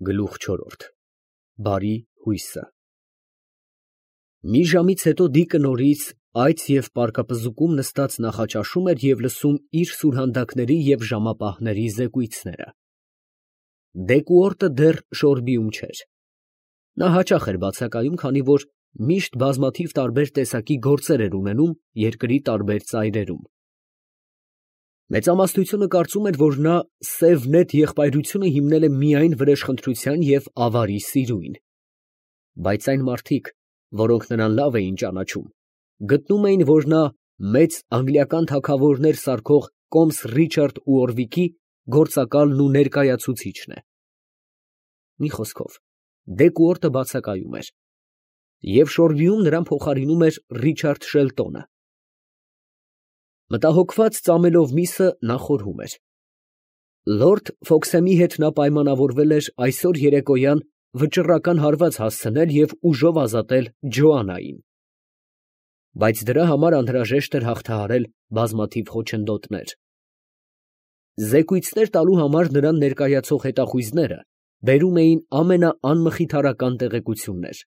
Գլուխ չորրորդ Բարի հույսը Մի ժամից հետո Դիկը նորից այծ և պարկապզուկում նստած նախաճաշում էր և լսում իր սուրհանդակների և ժամապահների զեկույցները։ Դեկուորտը դեռ շորբիում չէր։ Նա հաճախ էր բացակայում, քանի որ միշտ բազմաթիվ տարբեր տեսակի գործեր էր ունենում երկրի տարբեր ծայրերում։ Մեծամասնությունը կարծում էր, որ նա սև նետ եղբայրությունը հիմնել է միայն վրեժխնդրության և ավարի սիրույն։ Բայց այն մարդիկ, որոնք նրան լավ էին ճանաչում, գտնում էին, որ նա մեծ անգլիական թագավորներ սարքող կոմս Ռիչարդ Ուորվիկի գործակալն ու ներկայացուցիչն է։ Մի խոսքով, Դեկուորտը բացակայում էր, և շորբիում նրան փոխարինում էր Ռիչարդ Շելտոնը։ Մտահոգված ծամելով միսը, նա խորհում էր. Լորդ Ֆոքսեմի հետ նա պայմանավորվել էր այսօր երեկոյան վճռական հարված հասցնել և ուժով ազատել Ջոաննային, բայց դրա համար անհրաժեշտ էր հաղթահարել բազմաթիվ խոչընդոտներ։ Զեկույցներ տալու համար նրան ներկայացող հետախույզները բերում էին ամենաանմխիթարական տեղեկություններ։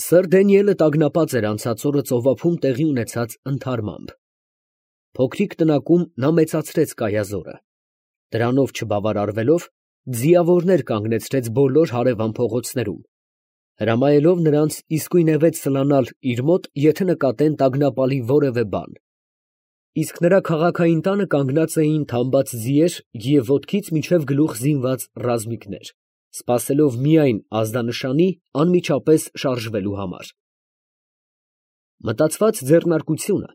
Սըր Դանիելը տագնապած էր անցած օրը ծովափում տեղի ունեցած ընդհարմամբ։ Փոքրիկ տնակում նա մեծացրեց կայազորը։ Դրանով չբավարարվելով, ձիավորներ կանգնեցրեց բոլոր հարևան փողոցներում, հրամայելով նրանց իսկույնևեթ սլանալ իր մոտ, եթե նկատեն տագնապալի որևէ բան։ Իսկ նրա քաղաքային տանը կանգնած էին թամբած ձիեր և ոտքից մինչև գլուխ զինված ռազմիկներ, սպասելով միայն ազդանշանի անմիջապես շարժվելու համար։ Մտածված ձեռնարկությունը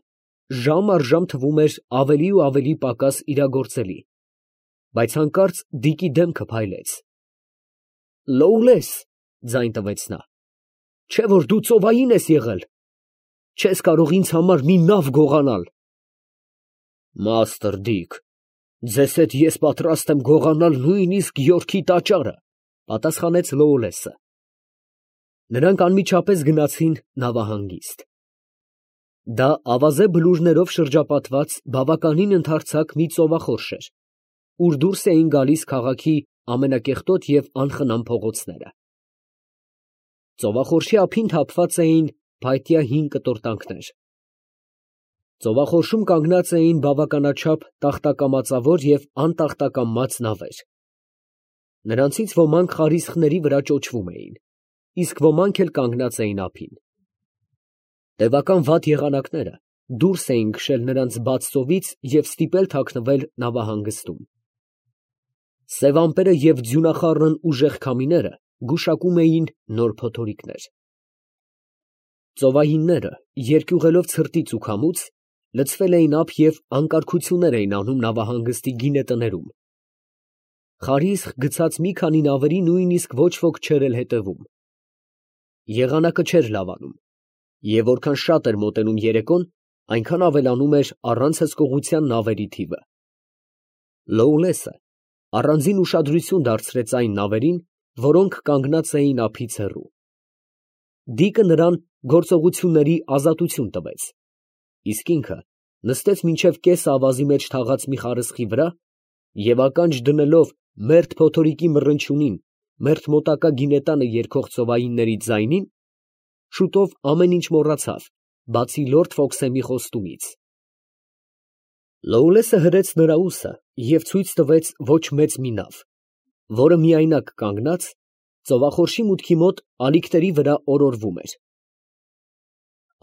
ժամ առ ժամ թվում էր ավելի ու ավելի պակաս իրագործելի, բայց հանկարծ Դիկի դեմքը փայլեց։ «Լոուլես, ֊ ձայն տվեց նա, ֊ չէ՞ որ դու ծովային ես եղել, չես կարող ինձ համար մի նավ գողանալ»։ Մաստր Դիկ, ձեզ հետ ես պատրաստ եմ գողանալ նույնիսկ Յորքի տաճարը, ֊ պատասխանեց Լոուլեսը։ Նրանք անմիջապես գնացին նավահանգիստ։ Դա ավազե բլուրներով շրջապատված բավականին ընդարձակ մի ծովախորշ էր, ուր դուրս էին գալիս քաղաքի ամենակեղտոտ և անխնամ փողոցները։ Ծովախորշի ափին թափված էին փայտյա հին կտորտանքներ։ Ծովախորշում կանգնած էին բավականաչափ տախտակամածավոր և անտախտակամաց նավեր։ Նրանցից ոմանք խարիսխների վրա ճոճվում էին, իսկ ոմանք էլ կանգնած էին ափին։ Տևական վատ եղանակները դուրս էին քշել նրանց բաց ծովից և ստիպել թաքնվել նավահանգստում։ Սև ամպերը և ձյունախառն ուժեղ քամիները գուշակում էին նոր փոթորիկներ։ Ծովայինները, երկյուղելով ցրտից ու քամուց, լցվել էին ափ և անկարգություններ էին անում նավահանգստի գինետներում։ Խարիսխ գցած մի քանի նավերի նույնիսկ ոչ ոք չէր էլ հետևում։ Եղանակը չէր լավանում, և որքան շատ էր մոտենում երեկոն, այնքան ավելանում էր առանց հսկողության նավերի թիվը։ Լոուլեսը առանձին ուշադրություն դարձրեց այն նավերին, որոնք կանգնած էին ափից հեռու։ Դիկը նրան գործողությունների ազատություն տվեց, իսկ ինքը նստեց մինչև կեսը ավազի մեջ թաղած մի խարսխի վրա և ականջ դնելով մերթ փոթորիկի մռնչյունին, մերթ մոտակա գինետանը երգող ծովայինների ձայնին, շուտով ամեն ինչ մոռացավ, բացի լորդ Ֆոքսեմի խոստումից։ Լոուլեսը հրեց նրա ուսը և ցույց տվեց ոչ մեծ մի նավ, որը միայնակ կանգնած, ծովախորշի մուտքի մոտ ալիքների վրա օրորվում էր։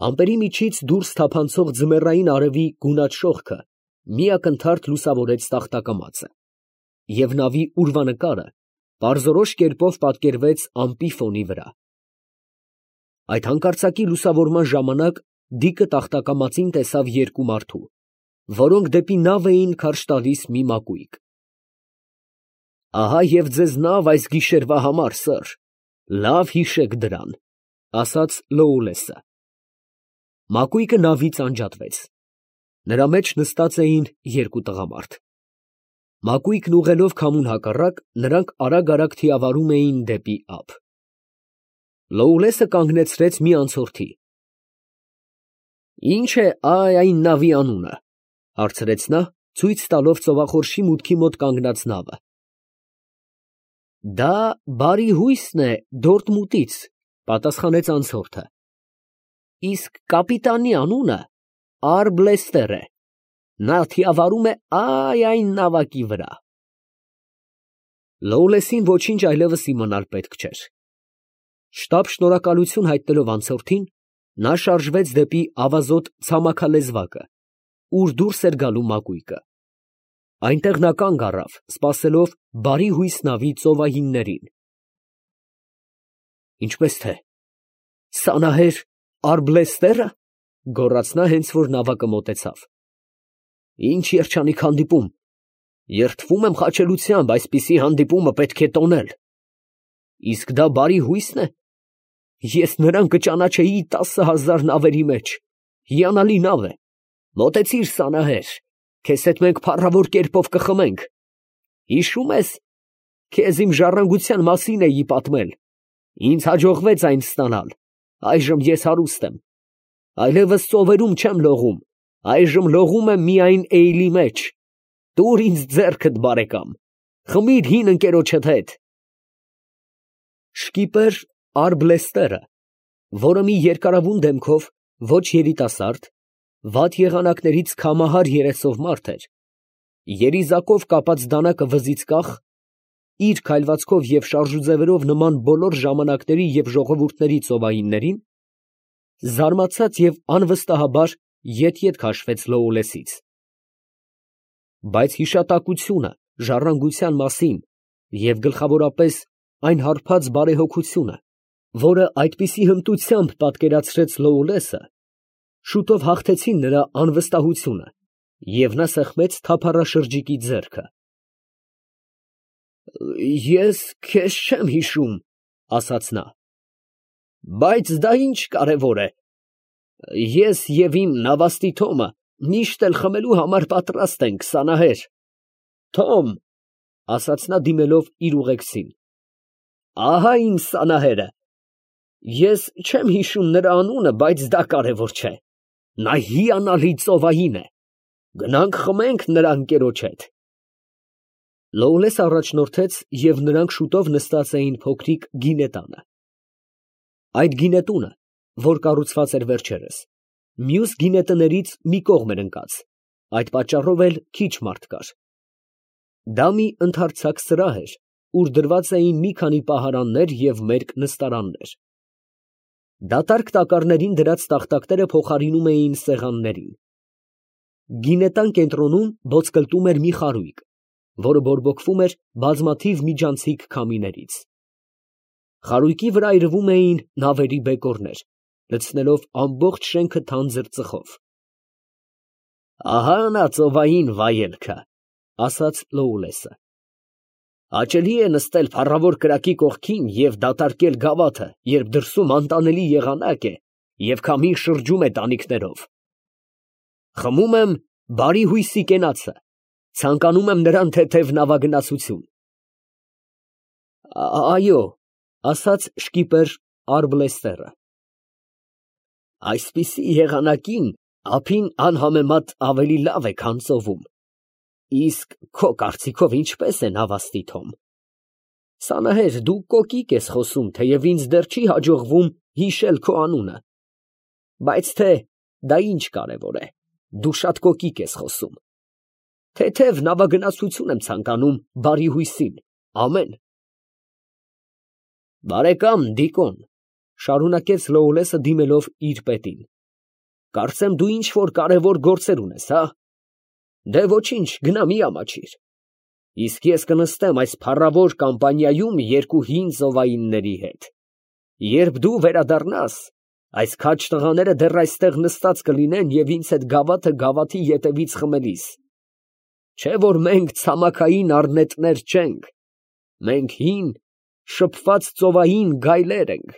Ամպերի միջից դուրս թափանցող ձմեռային արևի գունատ շողքը մի ակնթարթ լուսավորեց տախտակամածը, և նավի ուրվանկարը պարզորոշ կերպով պատկերվեց ամպի ֆոնի վրա։ Այդ հանկարծակի լուսավորման ժամանակ Դիկը տախտակամածին տեսավ երկու մարդու, որոնք դեպի նավ էին քարշ տալիս մի մակույկ։ «Ահա և ձեզ նավ այս գիշերվա համար, սըր, լավ հիշեք դրան», ֊ ասաց Լոուլեսը։ Մակույկը նավից անջատվեց։ Նրա մեջ նստած էին երկու տղամարդ։ Մակույկն ուղղելով քամուն հակառակ, նրանք արագ թիավարում էին դեպի ափ։ Լոուլեսը կանգնեցրեց մի անցորդի։ «Ի՞նչ է այն նավի անունը, ֊ հարցրեց նա, ցույց տալով ծովախորշի մուտքի մոտ կանգնած նավը։ Դա բարի հույսն է Դորտմուտից, պատասխանեց անցորդը։ Իսկ կապիտանի անունը Արբլեստեր է։ Նա թիավարում է այն նավակի վրա։ Լոուլեսին ոչինչ այլևս իմանալ պետք չէր։ Շտապ շնորհակալություն հայտնելով անցորդին, նա շարժվեց դեպի ավազոտ ցամաքալեզվակը, ուր դուրս էր գալու մակույկը։ Այնտեղ նա կանգ առավ, սպասելով բարի հույս նավի ծովահիններին։ Ինչպես թե, սանահեր Արբլեստերը, գոռաց նա, հենց որ նավակը մոտեցավ։ Ինչ երջանիկ հանդիպում, երդվում եմ խաչելությամբ, այսպիսի հանդիպումը պետք է տոնել։ Իսկ դա բարի հույսն է։ Ես նրան կճանաչեի 10,000 նավերի մեջ, հիանալի նավ է։ Մոտեցիր, սանահեր, քեզ հետ մենք փառավոր կերպով կխմենք։ Հիշում ես, քեզ իմ ժառանգության մասին էի պատմել։ Ինձ հաջողվեց այն ստանալ, այժմ ես հարուստ եմ։ Այլևս ծովերում չեմ լողում, այժմ լողում եմ միայն էյլի մեջ։ Տուր ինձ ձեռքդ, բարեկամ, խմիր հին ընկերոջդ հետ։ Շկիպեր Արբլեստերը, որը մի երկարավուն դեմքով, ոչ երիտասարդ, վատ եղանակներից քամահար երեսով մարդ էր, երիզակով կապած դանակը վզից կախ, իր քայլվածքով և շարժուձևերով նման բոլոր ժամանակների և ժողովուրդների ծովահիններին, զարմացած և անվստահաբար ետ քաշվեց Լոուլեսից։ Բայց հիշատակությունը ժառանգության մասին և գլխավորապես այն հարբած բարեհոգությունը, որը այդպիսի հմտությամբ պատկերացրեց Լոուլեսը, շուտով հաղթեցին նրա անվստահությունը, և նա սեղմեց թափառաշրջիկի ձեռքը։ Ես քեզ չեմ հիշում, ասաց նա, բայց դա ինչ կարևոր է։ Ես և իմ նավաստի Թոմը միշտ էլ խմելու համար պատրաստ ենք, սանահեր։ Թոմ, ասաց նա դիմելով իր ուղեկցին, ահա իմ սանահերը։ Ես չեմ հիշում նրա անունը, բայց դա կարևոր չէ։ Նա հիանալի ծովահին է։ Գնանք խմենք նրա ընկերոջ հետ։ Լոուլեսը առաջնորդեց, և նրանք շուտով նստած էին փոքրիկ գինետանը։ Այդ գինետունը, որ կառուցված էր վերջերս, մյուս գինետներից մի կողմ էր ընկած, այդ պատճառով էլ քիչ մարդ կար։ Դա մի ընդարձակ սրահ էր, ուր դրված էին մի քանի պահարաններ և մերկ նստարաններ։ Դատարկ տակառներին դրած տախտակները փոխարինում էին սեղաններին։ Գինետան կենտրոնում ոսկլտում էր մի խարույկ, որը բորբոքվում էր բազմաթիվ միջանցիկ քամիներից։ Խարույկի վրա այրվում էին նավերի բեկորներ, լցնելով ամբողջ շենքը թանձր ծխով։ Ահա նա ծովային վայելքը, ասաց Լոուլեսը։ Հաճելի է նստել փառավոր կրակի կողքին և դատարկել գավաթը, երբ դրսում անտանելի եղանակ է և քամին շրջում է տանիքներով։ Խմում եմ բարի հույսի կենացը, ցանկանում եմ նրան թեթև նավագնացություն։ Այո, ասաց շկիպեր Արբլեստերը։ Այսպիսի եղանակին ափին անհամեմատ ավելի լավ է, քան ծովում։ Իսկ քո կարծիքով ինչպես է նավաստի Թոմ։ Սանահեր, դու կոկիկ ես խոսում, թեև ինձ դեռ չի հաջողվում հիշել քո անունը։ Բայց թե դա ինչ կարևոր է, դու շատ կոկիկ ես խոսում։ Թեթև նավագնացություն եմ ցանկանում բարի հույսին, ամեն։ Բարեկամ Դիկոն, շարունակեց Լոուլեսը դիմելով իր պետին, կարծեմ դու ինչ որ կարևոր գործեր ունես, հա։ Դե ոչինչ, գնա մի ամաչիր։ Իսկ ես կնստեմ այս փառավոր կամպանիայում երկու հին ծովայինների հետ։ Երբ դու վերադառնաս, այս քաջ տղաները դեռ այստեղ նստած կլինեն և ինձ հետ գավաթը գավաթի ետևից խմելիս։ Չէ որ մենք ցամաքային առնետներ չենք, մենք հին, շփված ծովային գայլեր ենք։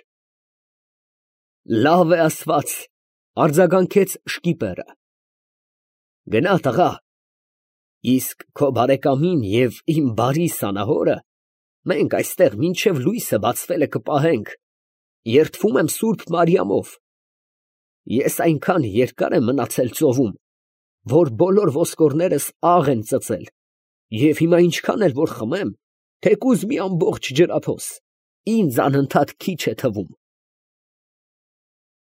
Լավ է ասված, արձագանքեց շկիպերը։ Գնա տղա, իսկ քո բարեկամին և իմ բարի սանահորը մենք այստեղ մինչև լույսը բացվելը կպահենք, երդվում եմ Սուրբ Մարիամով։ Ես այնքան երկար եմ մնացել ծովում, որ բոլոր ոսկորներս աղ են ծծել, և հիմա ինչքան էլ որ խմեմ, թեկուզ մի ամբողջ ջրափոս, ինձ անընդհատ քիչ է թվում։